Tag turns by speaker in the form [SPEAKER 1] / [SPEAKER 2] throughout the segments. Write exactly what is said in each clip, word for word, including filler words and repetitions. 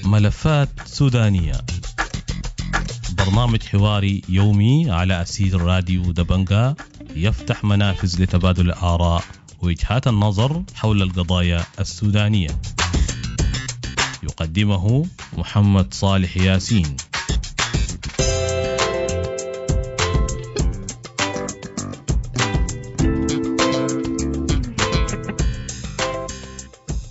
[SPEAKER 1] ملفات سودانية، برنامج حواري يومي على أسير راديو دبنجا، يفتح منافذ لتبادل الآراء ووجهات النظر حول القضايا السودانية. يقدمه محمد صالح ياسين.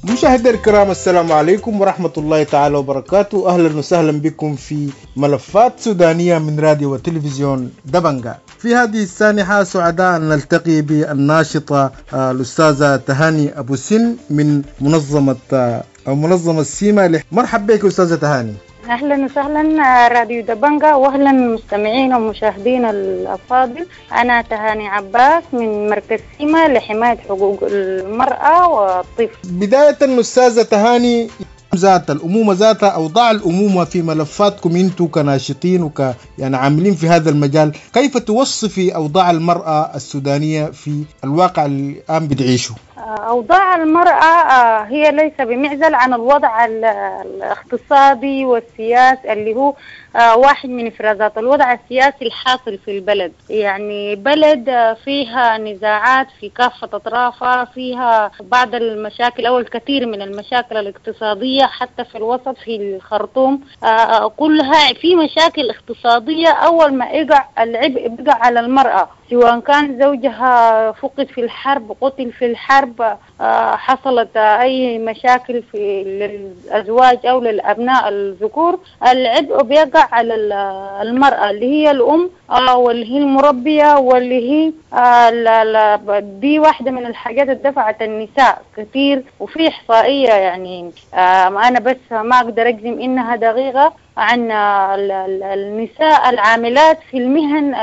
[SPEAKER 2] مشاهدينا الكرام، السلام عليكم ورحمة الله تعالى وبركاته. أهلا وسهلا بكم في ملفات سودانية من راديو وتلفزيون دبنجا. في هذه السانحة سعداء أن نلتقي بالناشطة الأستاذة تهاني أبو سن من منظمة أو منظمة سيما. مرحبا بك أستاذة تهاني.
[SPEAKER 3] أهلا وسهلا راديو دبنجا، وأهلا المستمعين والمشاهدين الأفاضل. أنا تهاني عباس من مركز سيما لحماية حقوق المرأة والطفل.
[SPEAKER 2] بداية أستاذة تهاني، ذات الأمومة ذاتها، أوضاع الأمومة في ملفاتكم أنتم كناشطين وك يعني عاملين في هذا المجال، كيف توصفي أوضاع المرأة السودانية في الواقع الآن بتعيشه؟
[SPEAKER 3] أوضاع المرأة هي ليس بمعزل عن الوضع الاقتصادي والسياسي اللي هو واحد من إفرازات الوضع السياسي الحاصل في البلد. يعني بلد فيها نزاعات في كافة أطرافها، فيها بعض المشاكل أو الكثير من المشاكل الاقتصادية، حتى في الوسط في الخرطوم كلها في مشاكل اقتصادية. أول ما يقع العبء بيقع على المرأة، سواء كان زوجها فقد في الحرب، قتل في الحرب، حصلت أي مشاكل في للأزواج أو للأبناء الذكور، العبء بيقع على المرأة اللي هي الأم واللي هي المربية واللي هي دي واحدة من الحاجات اللي دفعت النساء كثير. وفي إحصائية يعني أنا بس ما أقدر أجزم إنها دقيقة عن النساء العاملات في المهن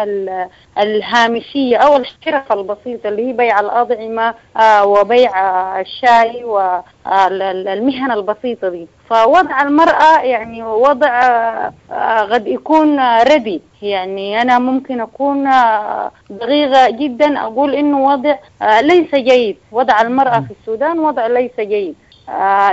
[SPEAKER 3] الهامشية أو الحرف البسيطة اللي هي بيع الأطعمة وبيع الشاي والمهن البسيطة دي. فوضع المرأة يعني وضع قد يكون ردي، يعني أنا ممكن أكون دقيقة جدا أقول إنه وضع ليس جيد. وضع المرأة في السودان وضع ليس جيد.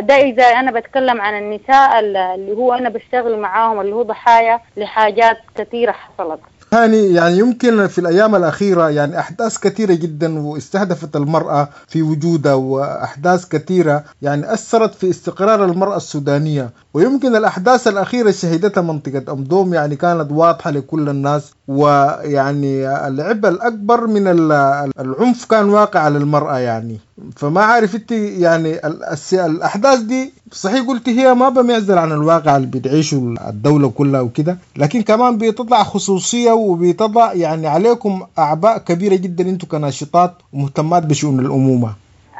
[SPEAKER 3] ده إذا أنا بتكلم عن النساء اللي هو أنا بشتغل معاهم، اللي هو ضحايا لحاجات كثيرة حصلت.
[SPEAKER 2] هاني، يعني يمكن في الأيام الأخيرة يعني أحداث كثيرة جدا واستهدفت المرأة في وجودها، وأحداث كثيرة يعني أثرت في استقرار المرأة السودانية، ويمكن الأحداث الأخيرة شهدتها منطقة أم دوم يعني كانت واضحة لكل الناس، ويعني العبء الأكبر من العنف كان واقع على المرأة. يعني فما عارف انت يعني الأحداث دي صحيح قلت هي ما بمعزل عن الواقع اللي بتعيشه الدولة كلها وكده، لكن كمان بتطلع خصوصية وبتضع يعني عليكم أعباء كبيرة جدا انتم كناشطات ومهتمات بشؤون الأمومة.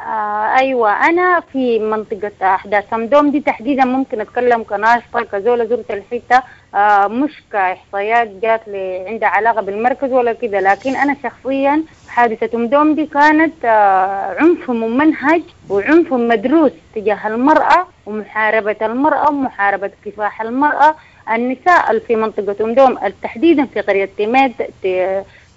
[SPEAKER 3] آه أيوة، أنا في منطقة أحداث أم دوم دي تحديدا ممكن أتكلم كناشطة كزولة زرت الحتة، آه مش كإحصائيات جات لي عندها علاقة بالمركز ولا كده، لكن أنا شخصيا حادثة أم دوم دي كانت آه عنف ممنهج وعنف مدروس تجاه المرأة ومحاربة المرأة ومحاربة كفاح المرأة. النساء في منطقة أم دوم تحديدا في قرية تيمات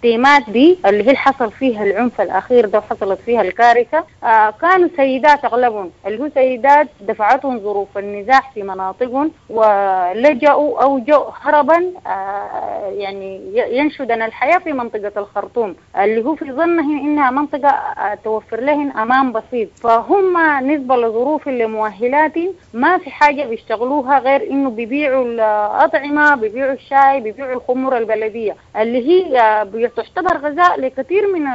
[SPEAKER 3] تيمات دي اللي هي حصل فيها العنف الأخير ده وحصلت فيها الكارثة، آه كانوا سيدات أغلبهم، اللي هو سيدات دفعتهم ظروف النزاع في مناطقهم ولجأوا أو جاءوا هربا، آه يعني ينشدن الحياة في منطقة الخرطوم اللي هو في ظنهن إنها منطقة آه توفر لهن أمان بسيط. فهم نسبة لظروف اللي مؤهلات ما في حاجة بيشتغلوها غير إنه بيبيعوا الأطعمة، بيبيعوا الشاي، بيبيعوا الخمور البلدية اللي هي آه تعتبر غذاء لكثير من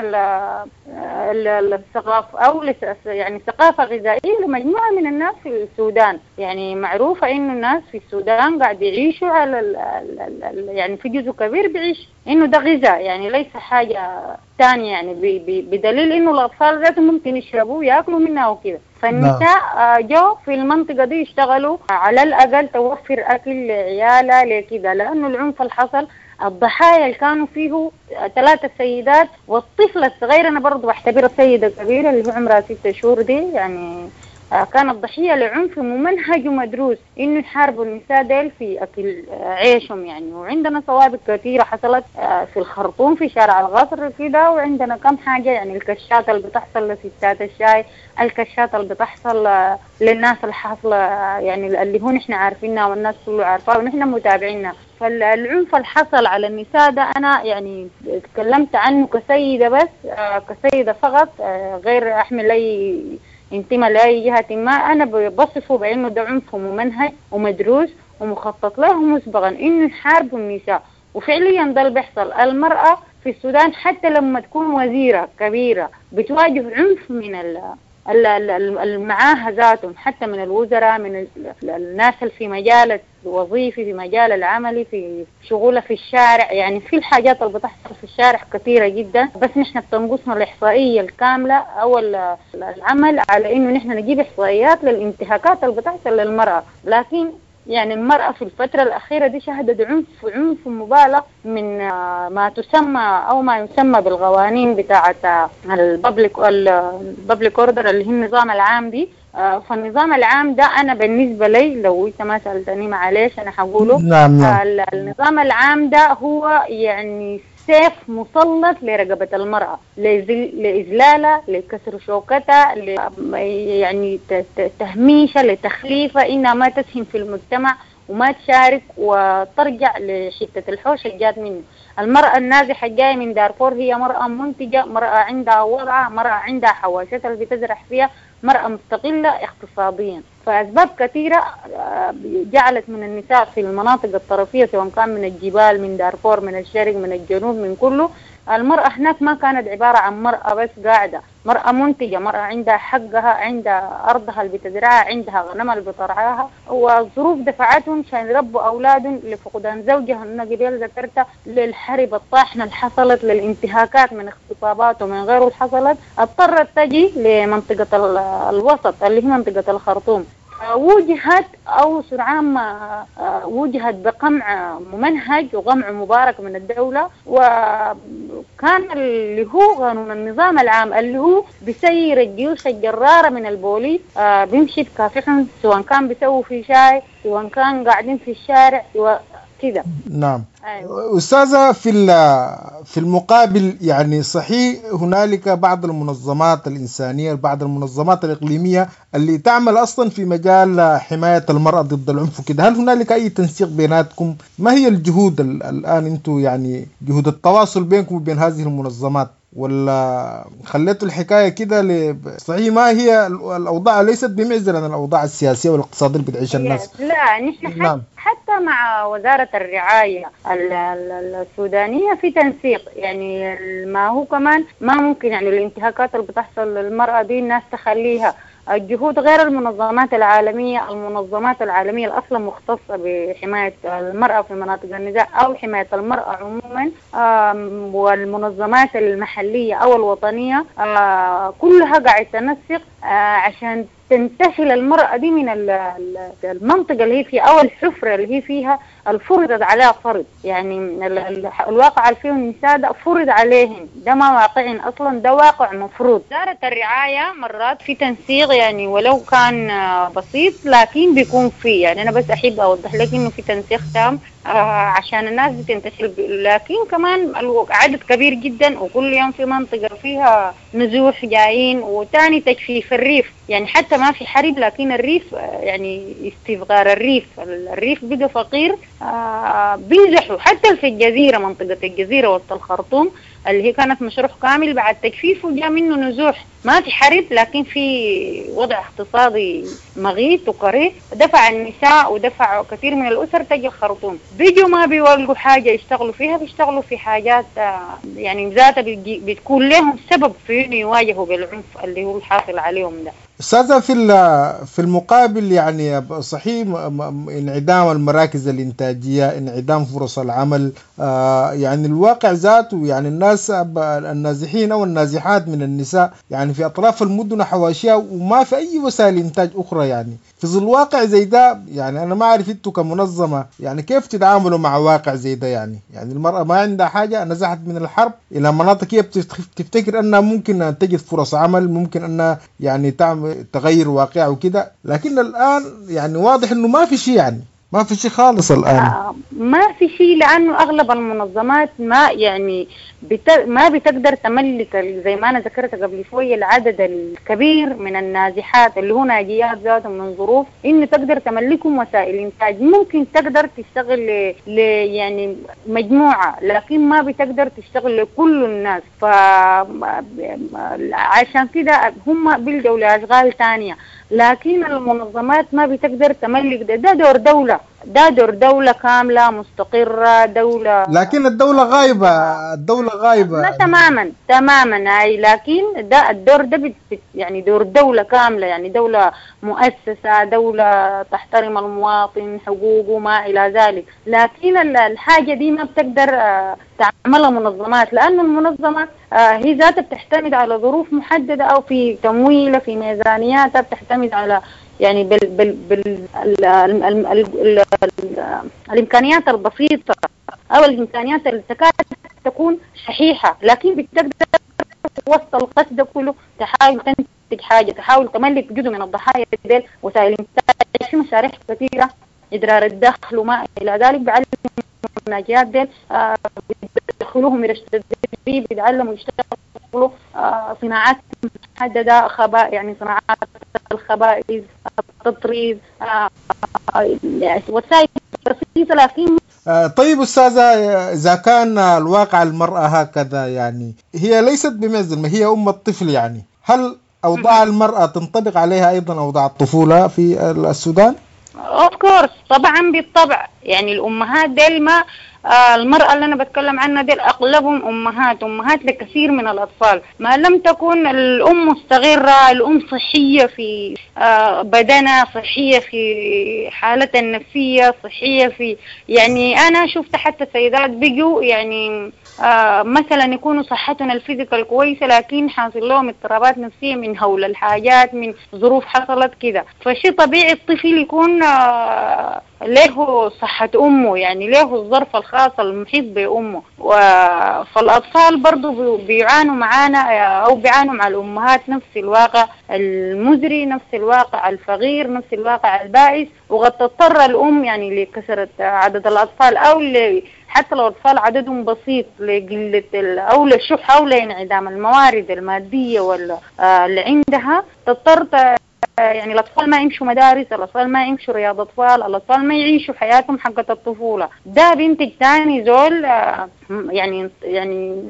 [SPEAKER 3] الثقافة أو يعني ثقافة غذائية لمجموعة من الناس في السودان. يعني معروفة إنه الناس في السودان قاعد يعيشوا على ال ال يعني في جزء كبير بيعيش إنه ده غذاء، يعني ليس حاجة ثانية، يعني بدليل إنه الأطفال ذاتهم ممكن يشربوا ويأكلوا منها وكده. فالنساء جو في المنطقة دي يشتغلوا على الأقل توفر أكل لعيالها لكده، لأنه العنف اللي حصل الضحايا اللي كانوا فيه ثلاثة سيدات والطفلة الصغيرة، أنا برضو بعتبرها سيدة كبيرة اللي هو عمرها ستة شهور دي، يعني كانت ضحية لعنف ممنهج ومدروس إنه يحاربوا النساء ديل في أكل عيشهم يعني. وعندنا سوابق كثيرة حصلت في الخرطوم في شارع القصر كده، وعندنا كم حاجة يعني الكشات اللي بتحصل لستات الشاي، الكشات اللي بتحصل للناس الحاصلة يعني اللي هو نحن عارفينها والناس كله عارفاها ونحن متابعينها. فالعنف اللي حصل على النساء ده أنا يعني تكلمت عنه كسيدة بس، كسيدة فقط، غير أحمل أي انتماء لأي جهة ما. أنا بصفه بأنه ده عنف ممنهج ومدروس ومخطط له مسبقا إنه يحاربوا النساء، وفعليا ده اللي بيحصل. المرأة في السودان حتى لما تكون وزيرة كبيرة بتواجه عنف من المعاها ذاتهم، حتى من الوزراء، من الناس اللي في مجال الوظيفي، في مجال العملي، في شغله في الشارع. يعني في الحاجات اللي بتحصل في الشارع كثيرة جدا، بس نحن بتنقصنا الإحصائية الكاملة أو العمل على إنه نحن نجيب إحصائيات للانتهاكات اللي بتحصل للمرأة. لكن يعني المرأة في الفترة الأخيرة دي شهدت عنف عنف مبالغ من ما تسمى أو ما يسمى بالقوانين بتاعة ال public ال public order اللي هي النظام العام دي. فالنظام العام ده أنا بالنسبة لي، لو أنت ما سألتني معلش أنا هقوله.
[SPEAKER 2] نعم نعم.
[SPEAKER 3] النظام العام ده هو يعني سيف مسلط لرقبة المرأة، لإذلالها، لكسر شوكتها، يعني تهميشها، لتخليفها، إنها ما تسهم في المجتمع وما تشارك وترجع لحتة الحوش اللي جات منه. المرأة النازحة الجاية من دارفور هي مرأة منتجة، مرأة عندها وضعها، مرأة عندها حواشتها اللي بتزرع فيها، مرأة مستقلة اقتصاديا. فأسباب كثيرة جعلت من النساء في المناطق الطرفية، سواء كان من الجبال، من دارفور، من الشرق، من الجنوب، من كله، المرأة هناك ما كانت عبارة عن مرأة بس قاعدة، مرأة منتجة، مرأة عندها حقها، عندها أرضها اللي بتزرعها، عندها غنمها اللي بترعاها. والظروف دفعتهم عشان يربوا أولادهم لفقدان زوجها، أنا قبل ذكرتها، للحرب الطاحنة اللي حصلت، للانتهاكات من اغتصابات ومن غيره اللي حصلت، اضطرت تجي لمنطقة الوسط اللي هي منطقة الخرطوم. وجهت أو سرعان ما وجهت بقمع ممنهج وقمع مبارك من الدولة، وكان اللي هو قانون النظام العام اللي هو بيسير الجيوش الجرارة من البوليس، بيمشي بكافحهم، سواء كان بيسووا في شاي، سواء كان قاعدين في الشارع، سواء كده.
[SPEAKER 2] نعم. أيوة. أستاذة، في في المقابل يعني صحيح هنالك بعض المنظمات الإنسانية، بعض المنظمات الإقليمية اللي تعمل أصلا في مجال حماية المرأة ضد العنف وكده، هل هنالك أي تنسيق بيناتكم؟ ما هي الجهود الآن أنتم يعني جهود التواصل بينكم وبين هذه المنظمات، ولا خليتوا الحكاية كده؟ صحيح ما هي الأوضاع ليست بمعزل عن الأوضاع السياسية والاقتصادية اللي بتعيشها الناس.
[SPEAKER 3] لا، نحن نعم. حتى مع وزارة الرعاية السودانية في تنسيق، يعني ما هو كمان ما ممكن يعني الانتهاكات اللي بتحصل للمرأة دي الناس تخليها. الجهود غير المنظمات العالمية، المنظمات العالمية الأصلا مختصة بحماية المرأة في مناطق النزاع أو حماية المرأة عموما، والمنظمات المحلية أو الوطنية كلها قاعدة تنسق عشان تنتشل المرأة دي من المنطقة اللي هي فيها أو الحفرة اللي هي فيها، الفرضت عليها فرض. يعني الواقع اللي فيه النساء ده فرض عليهن، ده ما واقعين أصلا، ده واقع مفروض. وزارة الرعاية مرات في تنسيق يعني ولو كان بسيط، لكن بيكون فيه، يعني أنا بس أحب أوضح لك إنه في تنسيق تام عشان الناس بتنتشر، لكن كمان عدد كبير جدا، وكل يوم في منطقة فيها نزوح جايين، وتاني تجفيف الريف، يعني حتى ما في حرب لكن الريف يعني استفغار الريف، الريف بقى فقير، بينزحوا حتى في الجزيرة، منطقة الجزيرة وسط الخرطوم اللي هي كانت مشروع كامل بعد تجفيفه جاء منه نزوح. ما في حرب لكن في وضع اقتصادي مغيث وقريب، دفع النساء ودفع كثير من الأسر تجي الخرطوم، بيجوا ما بيولقوا حاجة يشتغلوا فيها، بيشتغلوا في حاجات يعني ذاتها بتكون لهم سبب في إنه يواجهوا بالعنف اللي هو الحاصل عليهم ده.
[SPEAKER 2] أستاذة، في في المقابل يعني صحيح انعدام المراكز الإنتاجية، انعدام فرص العمل، يعني الواقع ذاته، يعني الناس النازحين أو النازحات من النساء يعني في أطراف المدن حواشيها وما في أي وسائل إنتاج أخرى، يعني في ظل واقع زي ده يعني أنا ما أعرف أنتوا كمنظمة يعني كيف تتعاملوا مع واقع زي ده؟ يعني يعني المرأة ما عندها حاجة، نزحت من الحرب إلى مناطق هي بتفتكر أنها ممكن أن تجد فرص عمل، ممكن أنها يعني تعمل تغير واقع وكده، لكن الآن يعني واضح إنه ما في شيء، يعني ما في شيء خالص الآن.
[SPEAKER 3] آه ما في شيء، لأنه أغلب المنظمات ما يعني بت... ما بتقدر تملك زي ما أنا ذكرت قبل شوية العدد الكبير من النازحات اللي هو ناجيات ذاتهم من ظروف إنه تقدر تملكهم وسائل إنتاج. ممكن تقدر تشتغل ل... ل... يعني مجموعة، لكن ما بتقدر تشتغل لكل الناس. ف عشان كده هم بيلجوا لأشغال تانية، لكن المنظمات ما بتقدر تملك ده. ده دور دولة، ده دور دولة كاملة مستقرة، دولة.
[SPEAKER 2] لكن الدولة غايبة، الدولة غايبة.
[SPEAKER 3] لا تماما تماما هاي، لكن ده الدور ده بت يعني دور دولة كاملة، يعني دولة مؤسسة، دولة تحترم المواطن حقوقه ما إلى ذلك. لكن الحاجة دي ما بتقدر تعملها منظمات، لأن المنظمة هي ذاتها بتعتمد على ظروف محددة أو في تمويلها في ميزانياتها، بتعتمد على يعني بال بال بال ال ال ال ال ال الإمكانيات البسيطة أو الإمكانيات اللي تكاد تكون شحيحة، لكن بتقدر وسط القصد كله تحاول تنتج حاجة، تحاول تملك جزء من الضحايا ديل وسائل إنتاج في مشاريع كثيرة، إدرار الدخل وما إلى ذلك. بعلم الناجيات ديل آه بيدخلوهم ورش التدريب، بيتعلموا يشتغلوا آه صناعات محددة، خباء يعني صناعات الخبائز، التطريز، آه وسائل بسيطة. لكن
[SPEAKER 2] آه طيب أستاذة، إذا كان الواقع المرأة هكذا، يعني هي ليست بمعزل، ما هي أم الطفل، يعني هل أوضاع المرأة تنطبق عليها أيضا أوضاع الطفولة في السودان؟
[SPEAKER 3] of course طبعا بالطبع. يعني الأمهات ديل ما آه المرأة اللي أنا بتكلم عنها ديل أغلبهم أمهات، أمهات لكثير من الأطفال. ما لم تكن الأم مستقرة، الأم صحية في آه بدنها، صحية في حالتها النفسية، صحية في يعني أنا شفت حتى سيدات بيجوا يعني آه مثلا يكونوا صحتهم ال physical كويسة، لكن حاصل لهم اضطرابات نفسية من هول الحاجات، من ظروف حصلت كده. فشي طبيعي الطفل يكون آه له صحة أمه، يعني له الظرف الخاص المحيط بأمه. فالأطفال برضو بيعانوا معانا أو بيعانوا مع الأمهات نفس الواقع المزري، نفس الواقع الفقير، نفس الواقع البائس. وقد تضطر الأم يعني لكثرة عدد الأطفال، أو حتى لو الأطفال عددهم بسيط، لقلة أو للشح أو لانعدام الموارد المادية ولا اللي عندها، تضطر يعني الأطفال ما يمشوا مدارس، الأطفال ما يمشوا رياض أطفال، الأطفال ما يعيشوا حياتهم حقة الطفولة. ده بينتج تاني زول يعني يعني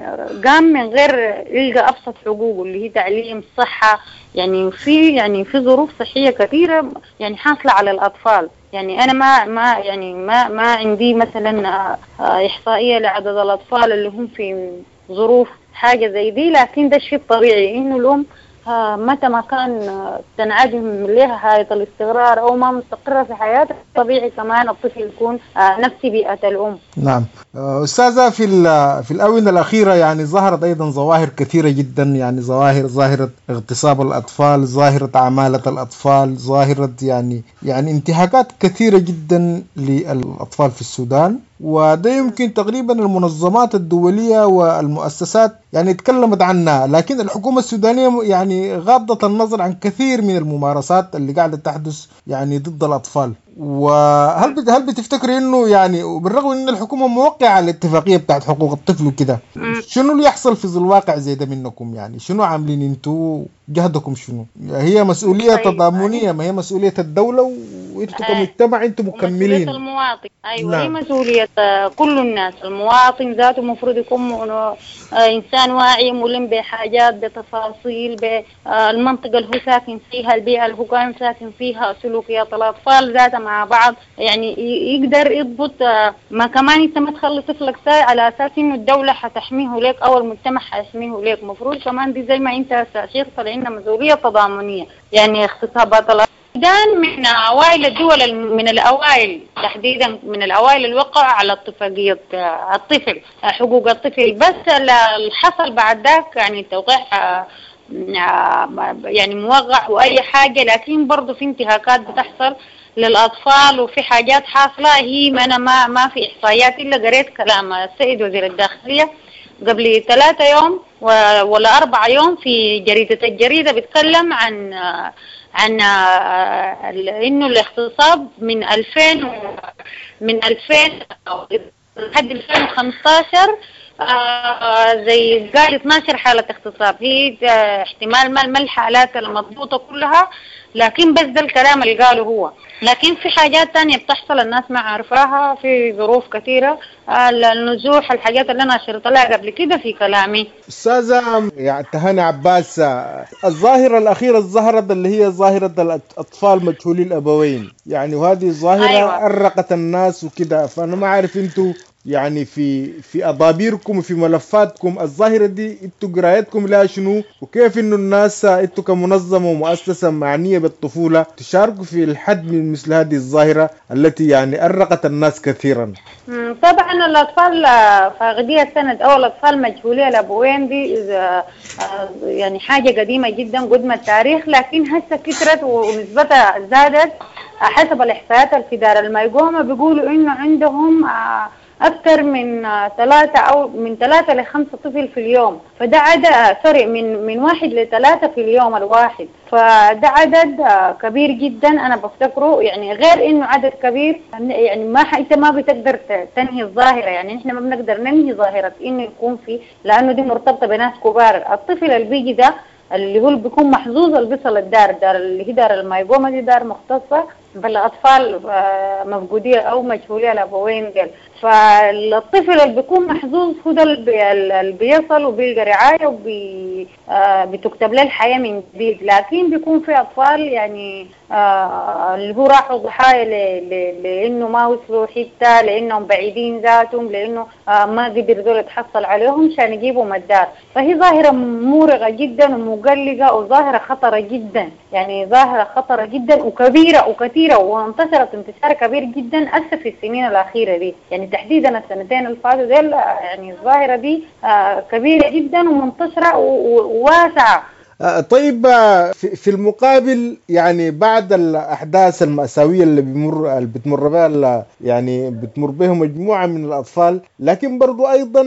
[SPEAKER 3] قام من غير يلقى أبسط حقوقه اللي هي تعليم، صحة. يعني في يعني في ظروف صحية كثيرة يعني حاصلة على الأطفال. يعني أنا ما ما يعني ما ما عندي مثلا إحصائية لعدد الأطفال اللي هم في ظروف حاجة زي دي، لكن ده الشيء الطبيعي إنه الأم متى ما كان تنعدم لها حالة الاستقرار أو ما مستقرة في حياتها، طبيعي كمان الطفل يكون نفس بيئة الأم.
[SPEAKER 2] نعم أستاذة، في في الآونة الأخيرة يعني ظهرت أيضا ظواهر كثيرة جدا، يعني ظواهر ظاهرة اغتصاب الأطفال، ظاهرة عمالة الأطفال، ظاهرة يعني يعني انتهاكات كثيرة جدا للأطفال في السودان. وده يمكن تقريبا المنظمات الدولية والمؤسسات يعني تكلمت عنها، لكن الحكومة السودانية يعني غاضت النظر عن كثير من الممارسات اللي قاعدة تحدث يعني ضد الأطفال. وهل هل بتفتكري انه يعني بالرغم ان الحكومة موقعة على الاتفاقية بتاعت حقوق الطفل وكده، شنو اللي يحصل في الواقع زي ده منكم؟ يعني شنو عاملين انتوا، جهدكم شنو؟ هي مسؤولية طيب. تضامنية، ما هي مسؤولية الدولة وانتوا كمجتمع انتوا مكملين.
[SPEAKER 3] مسؤولية المواطن، ايوه نعم. هي مسؤولية كل الناس. المواطن ذاته المفروض يكون انسان واعي، ملم بحاجات، بتفاصيل، بالمنطقة اللي هو ساكن فيها، البيئة اللي هو كان ساكن فيها، سلوكيات الاطفال ذاتها مع بعض، يعني يقدر يضبط. ما كمان انت ما تخلي طفلك ساي على اساس انه الدولة حتحميه لك او المجتمع حيحميه لك. المفروض كمان دي زي ما انت شيخ طلعنا مسؤولية تضامنية. يعني اغتصابات السودان من أوائل الدول، من الأوائل تحديدا، من الأوائل اللي وقعوا على اتفاقية الطفل، حقوق الطفل. بس اللي حصل بعد ذاك يعني التوقيع يعني موقع وأي حاجة، لكن برضو في انتهاكات بتحصل للأطفال وفي حاجات حاصلة. هي ما أنا ما ما في إحصائيات، إلا قريت كلام السيد وزير الداخلية قبل ثلاثة يوم ولا أربعة يوم في جريدة الجريدة بيتكلم عن عن إنه الاغتصاب من ألفين من ألفين لحد ألفين وخمستاشر زي قال اثناشر حالة اغتصاب. هي احتمال ما ما الحالات المضبوطة كلها، لكن بس ده الكلام اللي قاله هو. لكن في حاجات تانية بتحصل الناس ما عارفاها، في ظروف كثيرة، النزوح، الحاجات اللي أنا أشرت لها قبل كده في كلامي.
[SPEAKER 2] أستاذة يعني تهاني عباس، الظاهرة الأخيرة ظهرت اللي هي ظاهرة الأطفال مجهولي الأبوين، يعني وهذه الظاهرة أيوة. أرقت الناس وكده، فأنا ما عارف أنتوا يعني في في أضابيركم وفي ملفاتكم الظاهرة دي انتوا قرايتكم لها شنو، وكيف انه الناس انتوا كمنظمة ومؤسسة معنية بالطفولة تشاركوا في الحد من مثل هذه الظاهرة التي يعني أرقت الناس كثيرا؟
[SPEAKER 3] طبعا الأطفال فاقدي السند أو الأطفال مجهولي الأبوين دي يعني حاجة قديمة جدا قدم التاريخ، لكن هسه كثرت ونسبتها زادت. حسب الإحصائيات في دار المايقوما بيقولوا إنه عندهم أكثر من ثلاثة أو من ثلاثة لخمسة طفل في اليوم، فده عدد سوري من من واحد لثلاثة في اليوم الواحد، فده عدد كبير جدا. أنا بفتكره يعني غير إنه عدد كبير، يعني ما أنت ما بتقدر تنهي الظاهرة، يعني إحنا ما بنقدر ننهي ظاهرة إنه يكون في، لأنه دي مرتبطة بناس كبار. الطفل اللي بيجي ده اللي هو بيكون محظوظ اللي بيصل الدار، دار اللي هي دار المايقوما دي دار مختصة بالأطفال مفقودية أو مجهولية الأبوين ديل، فالطفل اللي بيكون محظوظ هو ده اللي بيصل وبيلقى رعاية وبتكتب له الحياة من جديد. لكن بيكون في أطفال يعني اللي هو راحوا ضحايا لأنه ما وصلوا حتى، لأنهم بعيدين ذاتهم، لأنه ما قدر دول يتحصل عليهم عشان يجيبوا مدار. فهي ظاهرة مورغة جدا ومقلقة وظاهرة خطرة جدا، يعني ظاهرة خطرة جدا وكبيرة وكثيرة، وانتشرت انتشار كبير جدا أسف في السنين الأخيرة دي، يعني تحديدا السنتين اللي فاتوا ديل، يعني الظاهرة دي كبيرة جدا ومنتشرة وواسعة.
[SPEAKER 2] طيب في المقابل يعني بعد الأحداث المأساوية اللي بمر اللي بتمر بها يعني بتمر بها مجموعة من الأطفال، لكن برضو أيضا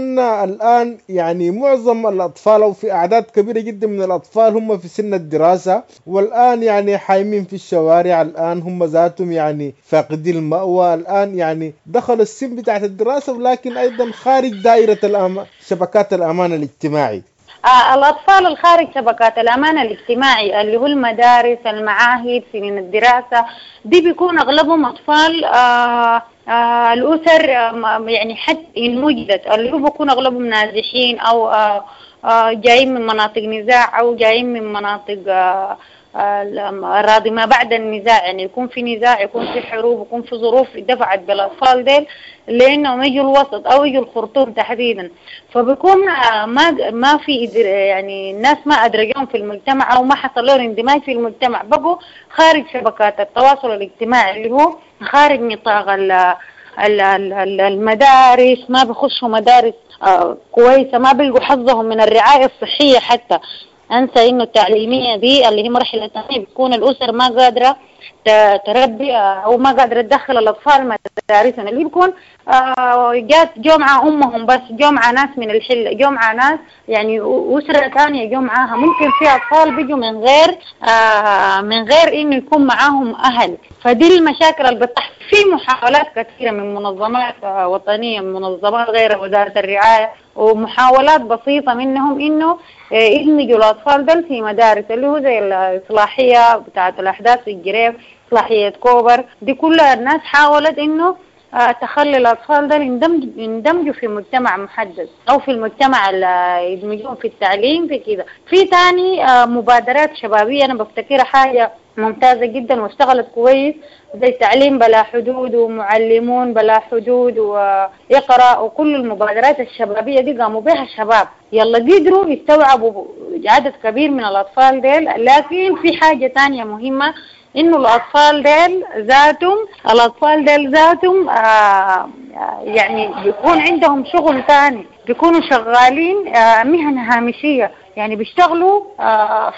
[SPEAKER 2] الآن يعني معظم الأطفال أو في أعداد كبيرة جدا من الأطفال هم في سن الدراسة، والآن يعني حايمين في الشوارع، الآن هم ذاتهم يعني فاقدين المأوى، الآن يعني دخلوا السن بتاعت الدراسة ولكن أيضا خارج دائرة الأم... شبكات الأمان الاجتماعي.
[SPEAKER 3] آه الأطفال الخارج شبكات الأمان الاجتماعي اللي هو المدارس، المعاهد، سنين الدراسة دي بيكون أغلبهم أطفال آه آه الأسر آه يعني حتى إن وجدت اللي هو بيكون أغلبهم نازحين أو آه آه جايين من مناطق نزاع أو جايين من مناطق آه الراضي ما بعد النزاع، يعني يكون في نزاع، يكون في حروب، يكون في ظروف دفعت بالأطفال ديل لأنهم يجوا الوسط أو يجوا الخرطوم تحديدا، فبيكون ما ما في يعني الناس ما أدرجوهم في المجتمع أو ما حصل لهم اندماج في المجتمع، بقوا خارج شبكات التواصل الاجتماعي اللي هو خارج نطاق المدارس، ما بيخشوا مدارس كويسة، ما بيلقوا حظهم من الرعاية الصحية حتى. أنسى إنه التعليمية دي اللي هي مرحلة ثانية بتكون الأسر ما قادرة تربي أو ما قادرة تدخل الأطفال مدارسهم، اللي بيكون جات جمعة أمهم بس، جمعة ناس من الحلة، جمعة ناس يعني أسرة ثانية جمعها، ممكن في أطفال بيجوا من غير من غير إنه يكون معاهم أهل. فدي المشاكل اللي بتحصل. في محاولات كثيرة من منظمات وطنية، من منظمات غير وزارة الرعاية، ومحاولات بسيطة منهم إنه يدمجوا الأطفال دول في مدارس اللي هو زي الإصلاحية بتاعة الأحداث في الجريف، إصلاحية كوبر، دي كلها الناس حاولت إنه تخلي الأطفال دول يندمجوا في مجتمع محدد أو في المجتمع اللي يدمجوهم في التعليم في كده. في تاني مبادرات شبابية أنا بفتكرها حاجة ممتازة جدا واشتغلت كويس، زي تعليم بلا حدود ومعلمون بلا حدود ويقرأ، وكل المبادرات الشبابية دي قاموا بها الشباب، يلا قدروا يستوعبوا عدد كبير من الأطفال ديل. لكن في حاجة تانية مهمة، إنه الأطفال ديل ذاتهم الأطفال ديل ذاتهم آه يعني بيكون عندهم شغل تاني، بيكونوا شغالين آه مهن هامشية، يعني بيشتغلوا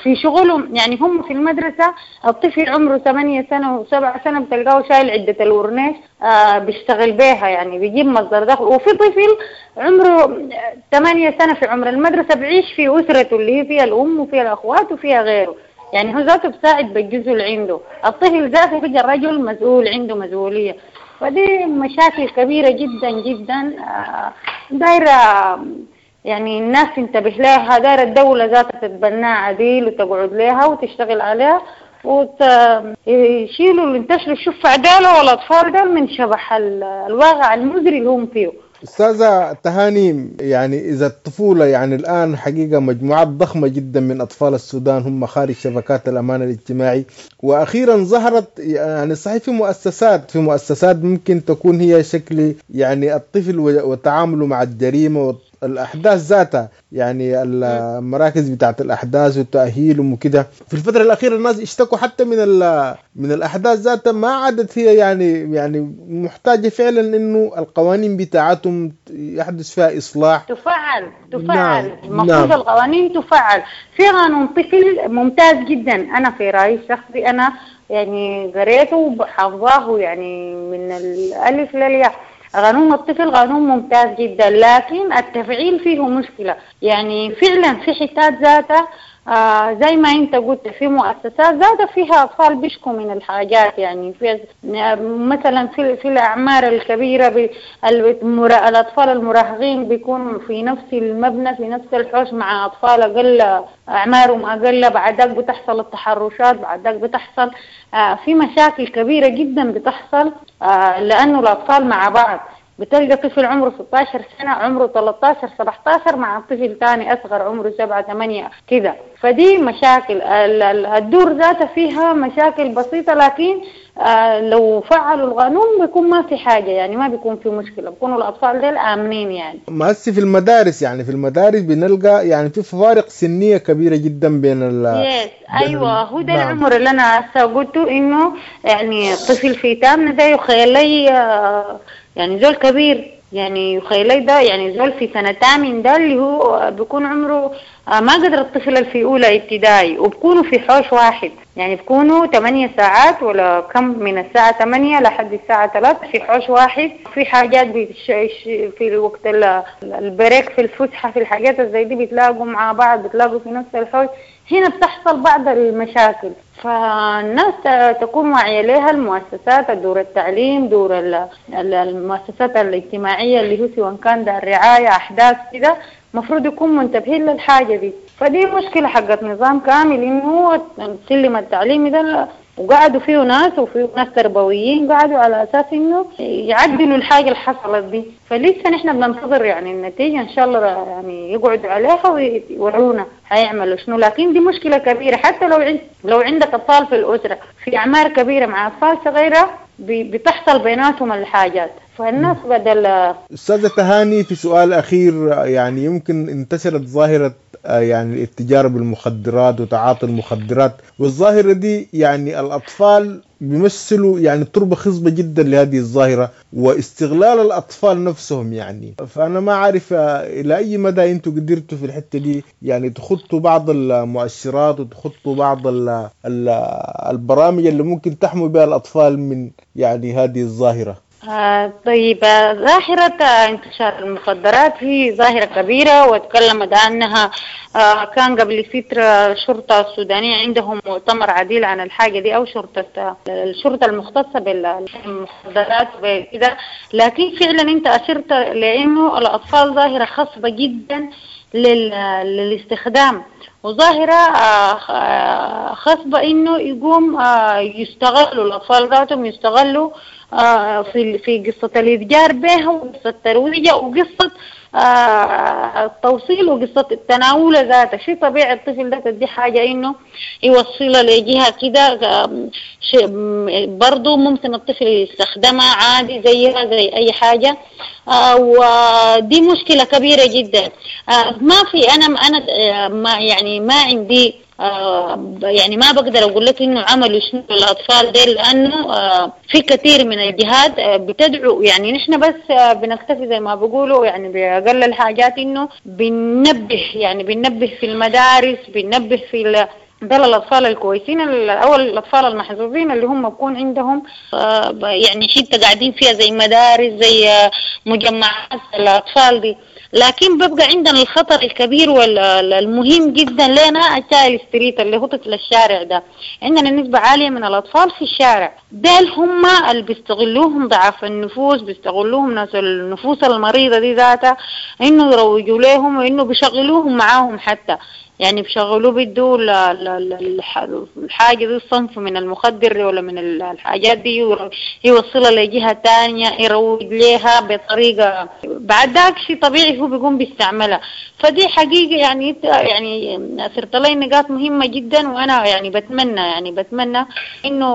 [SPEAKER 3] في شغلهم. يعني هم في المدرسة الطفل عمره ثمانية سنة وسبعة سنة بتلقاه شايل عدة الورنيش بيشتغل بيها، يعني بيجيب مصدر دخل. وفي طفل عمره ثمانية سنة في عمر المدرسة بعيش في أسرته اللي هي فيها الأم وفيها الأخوات وفيها غيره، يعني هو ذاته بساعد بالجزء اللي عنده. الطفل ذاته بيجي الرجل مسؤول، عنده مسؤولية. فدي مشاكل كبيرة جدا جدا دايرة يعني الناس تنتبه لها، دايرة الدولة ذاتها تتبناها عديل وتقعد لها وتشتغل عليها ويشيلوا اللي انتشروا الشفع عدالة والأطفال دول من شبح الواقع المزري اللي هم فيه.
[SPEAKER 2] أستاذة تهاني، يعني إذا الطفولة يعني الآن حقيقة مجموعات ضخمة جدا من أطفال السودان هم خارج شبكات الأمان الاجتماعي، وأخيرا ظهرت يعني صحيح في مؤسسات في مؤسسات ممكن تكون هي شكل يعني الطفل وتعامله مع الجريمة والأحداث ذاتها، يعني المراكز بتاعت الأحداث والتأهيل وكده. في الفترة الأخيرة الناس اشتكوا حتى من من الأحداث ذاتها ما عادت هي يعني يعني محتاجة فعلا إنه القوانين بتاعتهم يحدث فيها إصلاح.
[SPEAKER 3] تفعل تفعل نعم. المفروض نعم. القوانين تفعل. في قانون طفل ممتاز جدا، أنا في رأيي الشخصي أنا يعني قريته وحافظاه يعني من الألف للياء. قانون الطفل قانون ممتاز جدا، لكن التفعيل فيه مشكلة. يعني فعلا في حتات ذاتها آه زي ما انت قلت في مؤسسات ذاتها فيها أطفال بيشكوا من الحاجات، يعني في مثلا في, في الأعمار الكبيرة الأطفال المراهقين بيكونوا في نفس المبنى في نفس الحوش مع أطفال أقل أعمارهم أقل، بعد ذاك بتحصل التحرشات، بعد ذاك بتحصل آه في مشاكل كبيرة جدا بتحصل آه لأنه الأطفال مع بعض. بتلقى طفل عمره ستة عشر سنة عمره ثلاثة عشر سبعة عشر مع طفل تاني أصغر عمره سبعة ثمانية كده. فدي مشاكل الدور ذاتها فيها مشاكل بسيطة، لكن لو فعلوا القانون بيكون ما في حاجة، يعني ما بيكون في مشكلة، بيكونوا الأطفال ديل آمنين. يعني
[SPEAKER 2] ما هسه في المدارس، يعني في المدارس بنلقى يعني في فوارق سنية كبيرة جدا بين ال
[SPEAKER 3] yes. أيوة هو ده العمر اللي أنا هسه قلته إنه يعني طفل في تامنة ده يخيل لي يعني زول كبير، يعني يخيل ده يعني زول في سنة تامن ده اللي هو بيكون عمره ما قدر الطفل اللي في أولى ابتدائي، وبكونوا في حوش واحد، يعني بكونوا ثمانية ساعات ولا كم من الساعة ثمانية لحد الساعة ثلاثة في حوش واحد. في حاجات في الوقت البريك في الفسحة في الحاجات زي دي بتلاقوا مع بعض، بتلاقوا في نفس الحوش. هنا بتحصل بعض المشاكل، فالناس تكون واعية لها، المؤسسات، دور التعليم، دور المؤسسات الاجتماعية اللي هو سواء كان دار رعاية أحداث كده، مفروض يكون منتبهين للحاجة دي. فدي مشكلة حقت نظام كامل، إنه السلم التعليمي ده وقعدوا فيه ناس وفيه ناس تربويين قعدوا على أساس إنه يعدلوا الحاجة اللي حصلت دي. فلسه نحن بننتظر يعني النتيجة إن شاء الله، يعني يقعدوا عليها ويورونا هيعملوا شنو. لكن دي مشكلة كبيرة، حتى لو عند لو عندك أطفال في الأسرة في أعمار كبيرة مع أطفال صغيرة بتحصل بيناتهم الحاجات. فالناس بدل.
[SPEAKER 2] أستاذة تهاني، في سؤال أخير، يعني يمكن انتشرت ظاهرة يعني الاتجار بالمخدرات وتعاطي المخدرات، والظاهرة دي يعني الأطفال بيمثلوا يعني تربة خصبة جدا لهذه الظاهرة واستغلال الأطفال نفسهم. يعني فأنا ما عارف إلى أي مدى أنتوا قدرتوا في الحتة دي يعني تخطوا بعض المؤشرات وتخطوا بعض ال ال البرامج اللي ممكن تحمي بها الأطفال من يعني هذه الظاهرة.
[SPEAKER 3] آه طيب، ظاهرة انتشار المخدرات هي ظاهرة كبيرة وتكلمت عنها. آه كان قبل فترة الشرطة السودانية عندهم مؤتمر عديل عن الحاجة دي، أو شرطة الشرطة المختصة بالمخدرات وكذا. لكن فعلا أنت أشرت لأنه الأطفال ظاهرة خصبة جدا للاستخدام، وظاهرة خصبة إنه يقوم يستغلوا الأطفال ذاتهم، يستغلوا في في قصة الإتجار بها وقصة الترويج وقصة التوصيل وقصة التناول ذاته. شيء طبيعي الطفل ده تدي حاجة إنه يوصلها لجهة كده، شيء برضو ممكن الطفل يستخدمها عادي زيها زي أي حاجة. ودي مشكلة كبيرة جدا. ما في أنا أنا ما يعني ما عندي يعني ما بقدر أقول لك إنه عملوا شنو الأطفال ديل، لأنه في كثير من الجهات بتدعو، يعني نحن بس بنكتفي زي ما بيقولوا يعني بأقل الحاجات إنه بننبه، يعني بننبه في المدارس، بننبه في ال دول الأطفال الكويسين أو الأطفال المحظوظين اللي هم بكون عندهم يعني حتة قاعدين فيها زي مدارس زي مجمعات الأطفال دي. لكن ببقى عندنا الخطر الكبير والمهم جدا لنا ال child street اللي هو طفل الشارع ده، عندنا نسبة عالية من الأطفال في الشارع ديل، هم اللي بيستغلوهم ضعاف النفوس، بيستغلوهم ناس النفوس المريضة دي ذاتها، إنه يروجوا لهم وإنه بيشغلوهم معاهم حتى، يعني بشغلوه بيدوا الحاجة دي الصنف من المخدر ولا من الحاجات دي يوصلها لجهة تانية يروج لها بطريقة بعد ذاك شيء طبيعي هو بيقوم بيستعملها. فدي حقيقة يعني يعني صرت لي نقاط مهمة جدا، وأنا يعني بتمنى يعني بتمنى إنه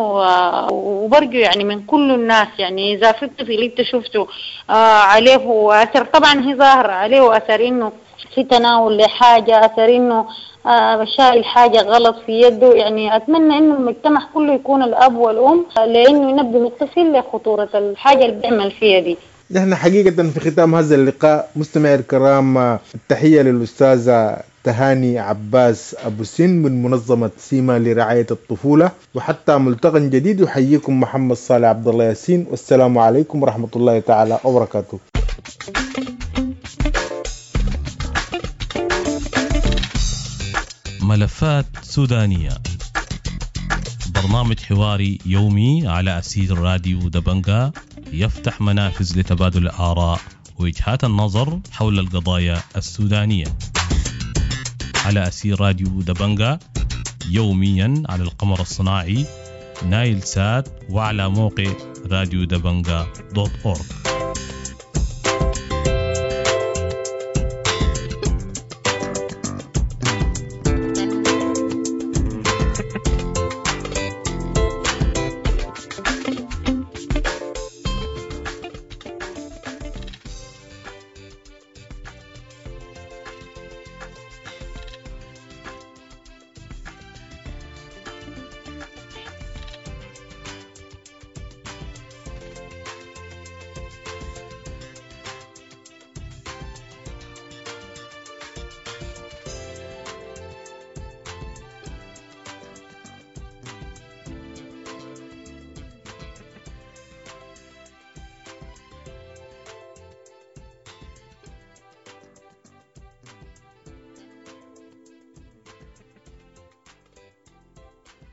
[SPEAKER 3] وبرجو يعني من كل الناس، يعني إذا في الطفل أنت شفته عليه أثر، طبعا هي ظاهرة عليه أثر إنه في تناول لحاجة، أثر إنه آه شايل حاجة غلط في يده، يعني أتمنى إنه المجتمع كله يكون الأب والأم لأنه ينبه الطفل لخطورة الحاجة اللي بيعمل فيها دي.
[SPEAKER 2] نحن حقيقة في ختام هذا اللقاء مستمعي الكرام التحية للأستاذة تهاني عباس أبو سن من منظمة سيما لرعاية الطفولة، وحتى ملتقى جديد يحييكم محمد صالح عبد الله ياسين، والسلام عليكم ورحمة الله تعالى وبركاته.
[SPEAKER 1] ملفات سودانية، برنامج حواري يومي على أثير راديو دبنجا، يفتح منافذ لتبادل الآراء ووجهات النظر حول القضايا السودانية على أثير راديو دبنجا يوميا على القمر الصناعي نايل سات وعلى موقع راديو دبنجا دوت أورج.